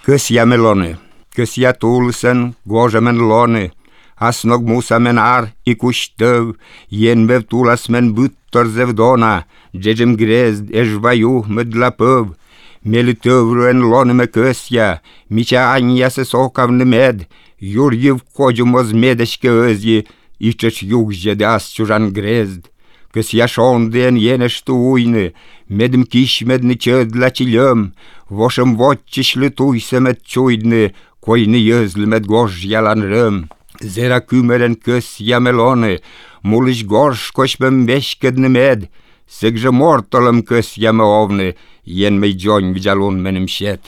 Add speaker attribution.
Speaker 1: Kösja melone, kösja tulësen, gozhëmen lone, as nog musa men ar i kushtëv, jen me tulas men bytër zevdona, xhexhëm grezd e zhvaju më dlapëv, me lëtëvrën lone me kösja, miqa anja se sokav në med, jurjiv kogjë mos medesh ke ëzji, i qësh jugje dhe as quzhan grezd. Kësja shondjen jene shtu ujnë, medëm kishmed në qëdla që lëm, voshëm voq që shlëtujse me të qujdnë, koj në jëzlë me të gosh jalan rëm. Zera kymeren kësja melone, mullish gorsh kosh me mbeshkët në med, se gzhë mortëllëm kësja me ovnë, jen me i gjonjë vgjalun me në mshet.